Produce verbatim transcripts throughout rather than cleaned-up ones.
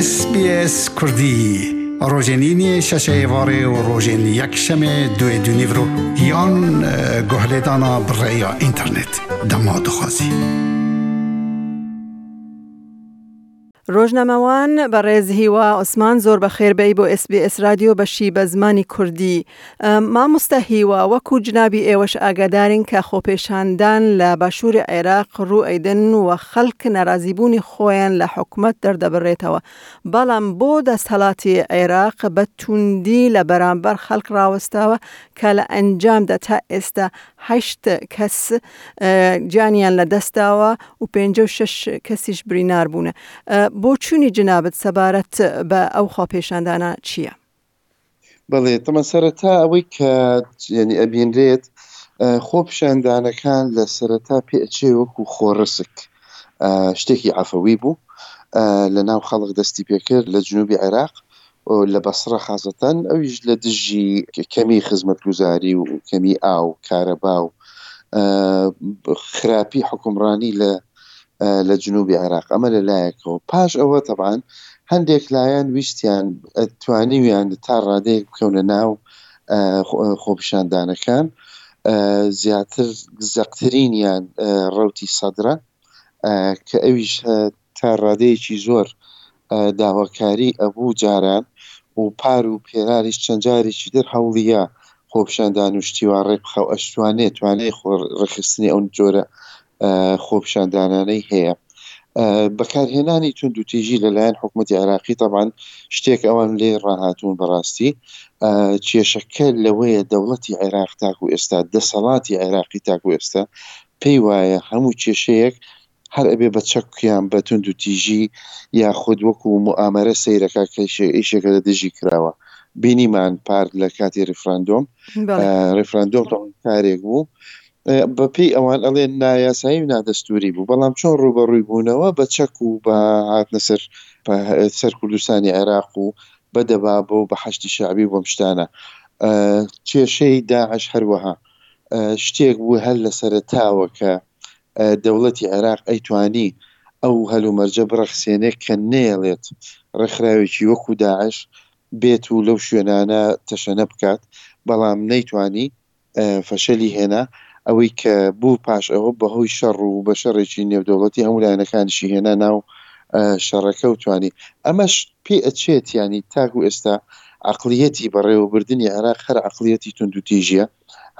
S B S Kurdî rojên îniyê şeşê êvarê û rojên yekşemê duê du nîvro yan guhlêdana bi rêya înternet dema dixwazî. ڕۆژنامەوان بەڕێز هیوا عوسمان، زۆر بەخێر بێی بۆ S B S رادیۆ بەشی بە زمانی کوردی. مامۆستا هیوا، وەکو جنابی ئێوەش ئاگادارین کە خۆپێشاندان لە باشووری عێراق ڕوو ئەیدن و خەڵک ناڕازیبوونی خۆیان لە حکومەت دەردەبڕێتەوە، بەڵام بۆ دەستهەڵاتی عێراق بە توندی لە بەرامبەر خەڵک ڕاوەستاوە کە لە ئەنجامدا تا ئێستا هەشت کەس گیانیان لە دەستداوە و پەنجا و شەش کەسیش برینار بوونە. بۆچوونی جنابت سەبارەت بە ئەو خۆپێشاندانە چییە؟ بەڵێ، تەمە سەرەتا ئەوەی کە یعنی ئەبینرێت، خۆپیشاندانەکان لە سەرەتا پێ ئەچێ وەکو خۆڕسک شتێکی عەفەوی بوو، لە ناو خەڵک دەستی پێکرد لە جنوبی عێراق لە بەسڕە خاصەتەن، ئەویش لە دژی کەمی خزمەتگوزاری و کەمی ئاو، کارەبا و خراپی حکومڕانی لە لە جنوبی عێراق. ئەمە لە لایەکەوە. پاش ئەوە تەبعەن هەندێک لایەن ویستیان توانیویان تا ڕادەیەک بکەونە ناو خۆپیشاندانەکان، زیاتر زەقترینیان ڕەوتی سەدرە کە ئەویش تا ڕادەیەکی زۆر داواکاری ئەبوو جاران و پار و پێراریش چەند جارێکی تر هەوڵیە خۆپیشاندان و شتیوا ڕێک بخە و ئەشتوانێت توانای خۆ ڕێکخستنی ئەو جۆرە خۆپیشاندانانەی هەیە. بەکارهێنانی توندوتیژی لەلایەن حکوومەتی عێراقی طبعا شتێک ئەوان لێ ڕاهاتوون. بەڕاستی کێشەکە لەوەیە دەوڵەتی عێراق تاکو ئێستا، دەسەڵاتی عێراقی تاکو ئێستا پێی وایە هەموو کێشەیەک هەر ئەبێ بە چەکیان بە توندوتیژی یاخود وەکو موئامەرە سەیرەکە کە ئیشێکە لە دژی کراوە. بینیمان پار لە کاتی ڕیفراندۆم، ڕیفراندۆم کارێک بوو بەپێی ئەوان ئەڵێن نایاسایی و نادەستوری بوو، بەڵام چۆن ڕووبەڕووی بوونەوە؟ بە چەک و بە هاتنە سەر سەر کوردستانی عێراق و بە دەبابە و بە حەشدی شەعبی و بەم شتانە. کێشەی داعش هەروەها شتێک بوو هەر لە سەرەتاوە کە دەوڵەتی عێراق ئەیتوانی ئەو هەلومەرجە بڕەخسێنێک کە نەیەڵێت ڕێکخراوێکی وەکو داعش بێت و لەو شوێنانە تەشەنە بکات، بەڵام نەیتوانی، فەشەلی هێنا. ئەوەی کە بوو پاش ئەوە بەهۆی شەڕ و بە شەڕێکی نێودەوڵەتی هەموو لایەنەکانیشی هێنا ناو شەڕەکە و توانی. ئەمەش پێ ئەچێت ینی تاکو ئێستا عقلیەتی بەڕێوەبردنی عێراق هەر عقلیەتی توندوتیژیە،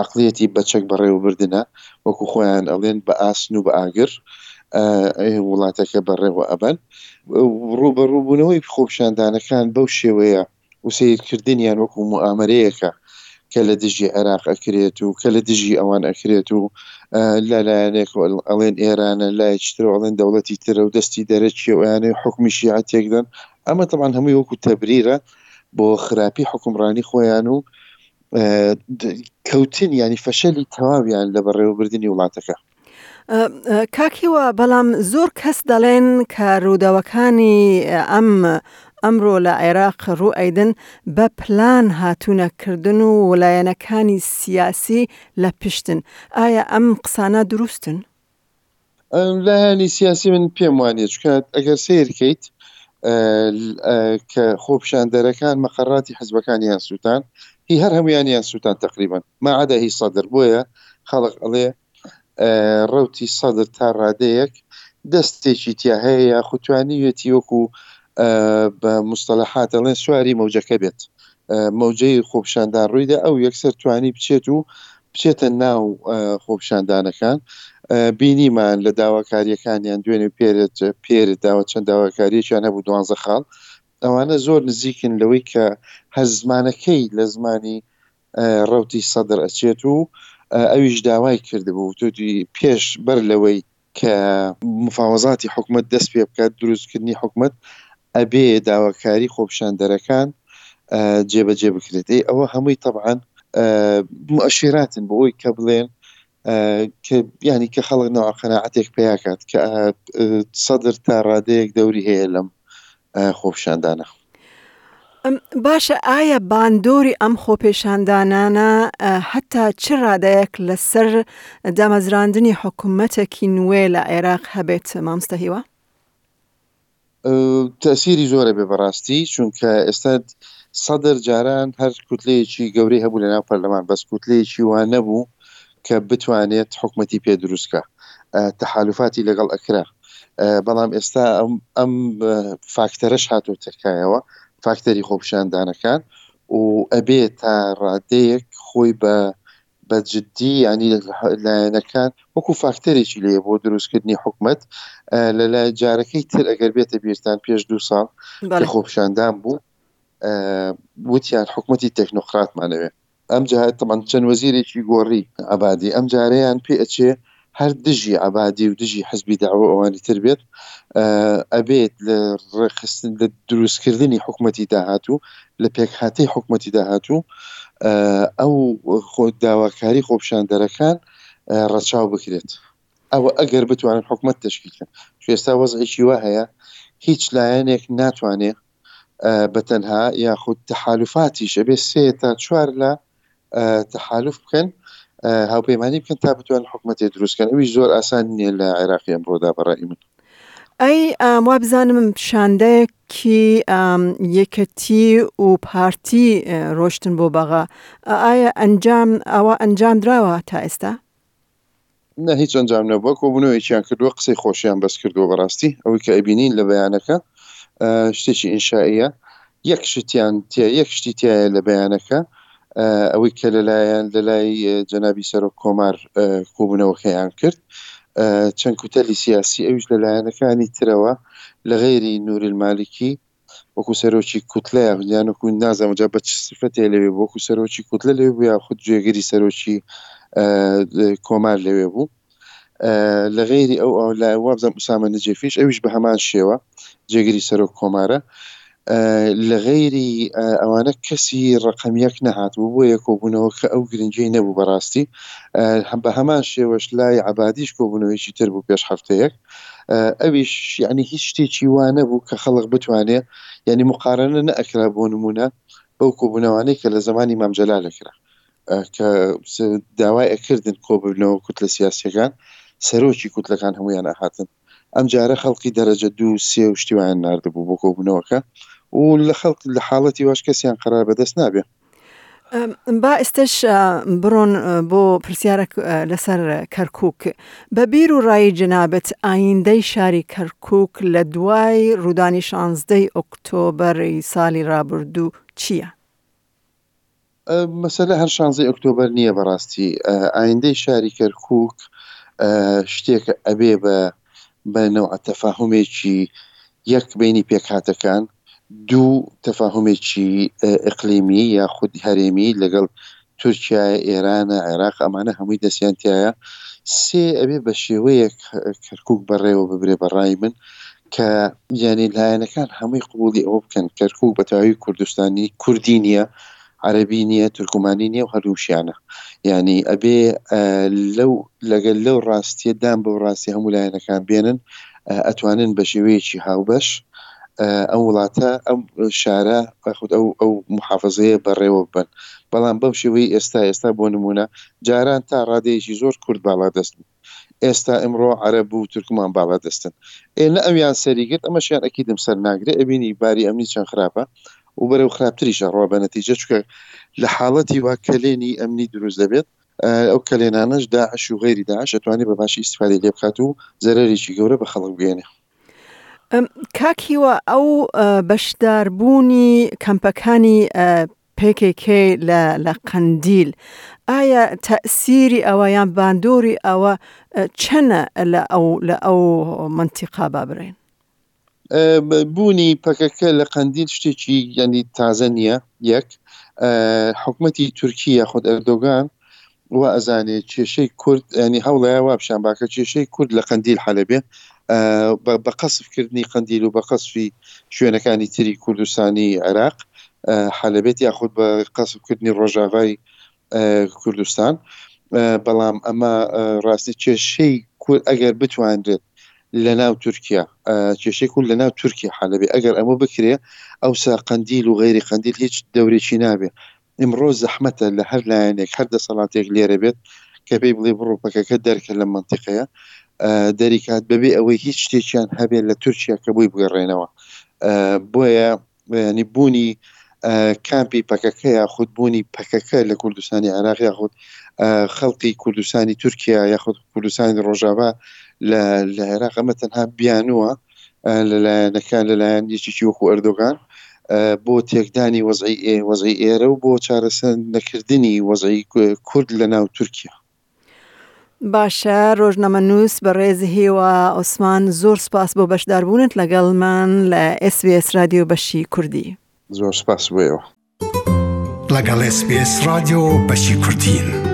عقلیەتی بەچەک بەڕێوەبردنە، وەکو خۆیان ئەڵێن بە ئاسن و بە ئاگر وڵاتەکە بەڕێوە ئەبەن. ڕووبەڕووبوونەوەی خۆپیشاندانەکان بەو شێوەیە و سەیرکردنیان وەکو موئامەرەیەکە کە لە دژی عێراق ئەکرێت و کە لە دژی ئەوان ئەکرێت و لەلایەنێک ئەڵێن ئێرانە، لایەکی تر ئەڵێن دەوڵەتی ترە و دەستی دەرەکی و ئەیانەوێ حکومی شیعە تێکدەن. ئەمە طبعا هەمووی وەکو تەبریرە بۆ خراپی حکومڕانی خۆیان و کەوتن ینی فەشەلی تەواویان لە بەڕێوەبردنی وڵاتەکە. کاک هیوا، بەڵام زۆر کەس دەڵێن کە ڕووداوەکانی ئەم ئەمڕۆ لە عێراق ڕوو ئەیدن بە پلان هاتوونەکردن و لایەنەکانی سیاسی لە پشتن. ئایا ئەم قسانە دروستن؟ لایەنی سیاسی من پێم وانیە، چونکە ئەگەر سەیر کەیت کە خۆپیشاندەرەکان مەقەڕاتی حزبەکانیان سووتان، هی هەر هەمویانیان سووتان تقریبا ما عدا هی سەدر. بۆیە خەڵک ئەڵێ ڕەوتی سەدر تا ڕادەیەک دەستێکی تیا هەیە یاخود توانیویەتی وەکو بە مستەلەحات ئەڵێن سواری مەوجەکە بێت، مەوجەی خۆپیشاندان ڕوویدا ئەو یەکسەر توانی بچێت و بچێتە ناو خۆپیشاندانەکان. بینیمان لە داواکاریەکانیان دوێنێ پێرت پێرت داوە چەند داواکاریەکیان هەبوو، دوانزە خاڵ، ئەوانە زۆر نزیکن لەوەی کە هەر زمانەکەی لە زمانی ڕەوتی سەدر ئەچێت و ئەویش داوای کردبوو توتی پێش بەر لەوەی کە مفاوەزاتی حکومەت دەست پێ بکات، دروستکردنی حکومەت، ئەبێ داواکاری خۆپیشاندەرەکان جێبەجێ بکرێت. ئەی ئەوە هەمووی طبعا مؤشراتن بۆ ئەوی کە بڵێن کە ینی کە خەڵک نەوە قەناعەتێک پیاکات کە سەدر تا ڕادەیەک دەوری هەیە لەم خۆپیشاندانە. باشە، ئایا باندۆری ئەم خۆپێشاندانانە هەتا چ ڕادەیەک لەسەر دامەزراندنی حکوومەتێکی نوێ لە عێراق هەبێت، مامۆستا هیوا؟ تەسیری زۆرە بێ بەڕاستی، چونکە ئێستا سەدر جاران هەر کوتلەیەکی گەورەی هەبوو لەناو پەرلەمان، بەس کوتلەیەکی وا نەبوو کە بتوانێت حکومەتی پێ دروستکە، تەحالفاتی لەگەڵ ئەکرا. بەڵام ئێستا ئەم فاکتەرەش هاتۆتە کایەوە، فاکتەری خۆپیشاندانەکان، و ئەبێ تا ڕادەیەک خۆی بە بە جدی ینی لایەنەکان وەکو فاکتەرێکی لێ بۆ دروستکردنی حکومەت. لە لای جارەکەی تر ئەگەر بێتە بیرتان پێش دوو ساڵ کە خۆپیشاندان بوو، وتیان حکومەتی تەکنۆقراتمانەوێ. ئەم جار تەمان چەند وەزیرێکی گۆڕی عەبادی، ئەم جارەیان پێ ئەچێ هەر دژی عەبادی و دژی حزبی دەعوە ئەوانی تر بێت، ئەبێت لە ڕێکخستن لە دروستکردنی حکومەتی داهاتوو، لە پێکهاتەی حکومەتی داهاتوو ئەو داواکاری خۆپیشاندەرەکان ڕەچاو بکرێت. ئەوە ئەگەر بتوانن حکومەت تەشکیل بکەن. ئێستا وەزعێکی وا هەیە هیچ لایەنێک ناتوانێت بە تەنها یاخود تەحالفاتیش ئەبێ سێ تا چوار لە تەحالف بکەن، هاوپەیمانی بکەن تا بتوانن حکومەتێ دروست بکەن. ئەویش زۆر ئاسان نییە لە عێراقی ئەمڕۆدا بەڕای من. ئەی وا بزانم شاندەیەکی یەکەتی و پارتی ڕۆشتن بۆ بەغا، ئایا ئەنجام ئەوە ئەنجام دراوە تا ئێستا؟ نه، هیچ ئەنجام نەبووە. کۆبوونەوەیەکیان کردووە، قسەی خۆشیان بەس کردووە. بەڕاستی ئەوەی کە ئەبینین لە بەیانەکە شتێکی ئینشائیە، یەک شتیان یەک شتی تایە لە بەیانەکە، ئەوەی کە لەلایەن لەلای جەنابی سەرۆک کۆمار کۆبوونەوەکەیان کرد، چەند کوتەلی سیاسی ئەویش لە لایەنەکانی ترەوە لە غەیری نوری المالکی وەکو سەرۆکی کوتلە یان وەکو نازانم جا بە چ سفەتێ لەوێ بوو، وەکو سەرۆکی کوتلە لەوێ بوو یاخود جێگری سەرۆکی کۆمار لەوێ بوو. لە غەیری ئەو لای وابزانم ئوسامە نجێفیش ئەویش بە هەمان شێوە جێگری سەرۆک کۆمارە. لە غەیری ئەوانە کەسی ڕقم یەک نەهاتبوو، بۆیە کۆبوونەوە کە ئەو گرنگی نەبوو بەڕاستی. بە هەمان شێوەش لای عەبادیش کۆبوونەوەیکی تر بوو پێش هەفتەیەک، ئەویش یعنی هیچ شتێکی وا نەبوو کە خەڵک بتوانێ، یعنی مقارنە نەئەکرا بۆ نمونە بەو کۆبوونەوانەی کە لە زمانی مام جەلال ئەکرا، کە داوای ئەکردن کۆبوونەوە کوتلە سیاسیەکان، سەرۆکی کوتلەکان هەمویان ئەهاتن. ئەم جارە خەڵکی دەرەجە دوو سێ و شتیوان ناردبوو بۆ کۆبوونەوەکە و لە خەڵک لە حاڵەتی واش کەسیان قەرار بەدەست نابێ. با ئێستش بڕۆن بۆ پرسیارێک لەسەر کەرکووک. بە بیر و ڕای جەنابت ئایندەی شاری کەرکووک لە دوای ڕوودانی شانزدەی ئۆکتۆبەری ساڵی ڕابردوو چییە؟ مەسەلە هەر شانزەی ئۆکتۆبەر نییە بەڕاستی. ئایندەی شاری کەرکووک شتێکە ئەبێ بە بە نەوع تەفاهمێکی یەک بینی پێکهاتەکان، دوو تەفاهمێکی ئیقلیمی یاخود هەرێمی لەگەڵ تورکیا، ئێرانە، عێراق، ئەمانە هەمووی دەستیان تایە. سێ ئەبێ بە شێوەیەک کەرکووک بەڕێوە ببرێ بەڕای من کە یعنی لایەنەکان هەمووی قبوڵی ئەوە بکەن کەرکووک بە تەواوی کوردستانی کوردی نییە، عەرەبی نییە، تورکمانی نییە و هەردووشیانە. یعنی ئەبێ لەو لەگەل لەو ڕاستیە دام بەو ڕاستی هەموو لایەنەکان بێنن، ئەتوانن بە شێوەیەکی هاوبەش ئەم وڵاتە، ئەم شارە یاخود ئەو ئەو محافظەیە بەڕێوە ببەن. بەڵام بەم شێوەی ئێستا ئێستا بۆ نمونە جاران تا ڕادەیەکی زۆر کورد باڵا دەست بوو، ئێستا ئمڕۆ عەرەب و تورکمان باڵا دەستن. ئێ نە ئەویان سەری گرت، ئەمەشیان ئەکیدم سەر ناگرێ. ئەبینی باری ئەمنی چەند خراپە و بەرەو خراپتریشە ڕوا بە نەتیجە، چونکە لە حاڵەتی وا کەلێنی ئەمنی دروست دەبێت، ئەو کەلێنانەش داعش و غەیری داعش ئەتوانێت بە باشی ئیستیفادەی لێ بکات و زەرەرێکی گەورە بە خەڵک بگەیەنێ. کاک هیوا، ئەو بەشداربوونی کەمپەکانی پی کی کی لە قەندیل، ئایا تەئسیری ئەوە یان باندۆری ئەوە چەنە لە ئەو لە ئەو منتیقا با برێن؟ بوونی پەکەکە لە قەندیل شتێکی یعنی تازە نییە. یەک، حکومەتی تورکیا یاخود ئەردۆگان وا ئەزانێ کێشەی کورد، ینی هەوڵەیە وا پیشان باکە کێشەی کورد لە قەندیل حەلەبێ، بە قەسفکردنی قەندیل و بە قەسفی شوێنەکانی تری کوردستانی عێراق حەلەبێت، یاخود بە قەسفکردنی ڕۆژاوای کوردستان. بەڵام ئەمە ڕاستی کێشەی کورد ئەگەر بتوانرێت لە ناو تورکیا، کێشەی کورد لە ناو تورکیا حەلەبێ، ئەگەر ئەمە بکرێ ئەوسا قەندیل و غەیری قەندیل هیچ دەورێکی نابێ. ئمڕۆ زەحمەتە لە هەر لایەنێک هەر دەسەڵاتێک لێرە بێت کە پێی بڵێ بڕۆ پەکەکە دەرکە لە منتیقەیە دەریکات بەبێ ئەوەی هیچ شتێکیان هەبێت لە تورکیا کە بۆی بگەڕێنەوە. بۆیە ینی بوونی کامپی پەکەکە یاخود بوونی پەکەکە لە کوردستانی عێراق یاخود خەڵکی کوردستانی تورکیا یاخود کوردستانی ڕۆژاوا لە لە عێراق ئەمە تەنها بیانووە لەلایەنەکان لەلایەن یەکێکی وەکو ئەردۆگان بۆ تێکدانی وەزعی وەزعی ئێرە و بۆ چارەسەر نەکردنی وەزعی کورد لە ناو تورکیا. باشە ڕۆژنامەنووس بەڕێز هیوا عوسمان زۆر سپاس بۆ بەشداربوونت لەگەڵمان لە ئێس بی ئێس رادیۆ بەشی کوردی. زۆر سپاس بۆ ئێوە. لەگەڵ ئێس بی ئێس رادیۆ بەشی کوردین.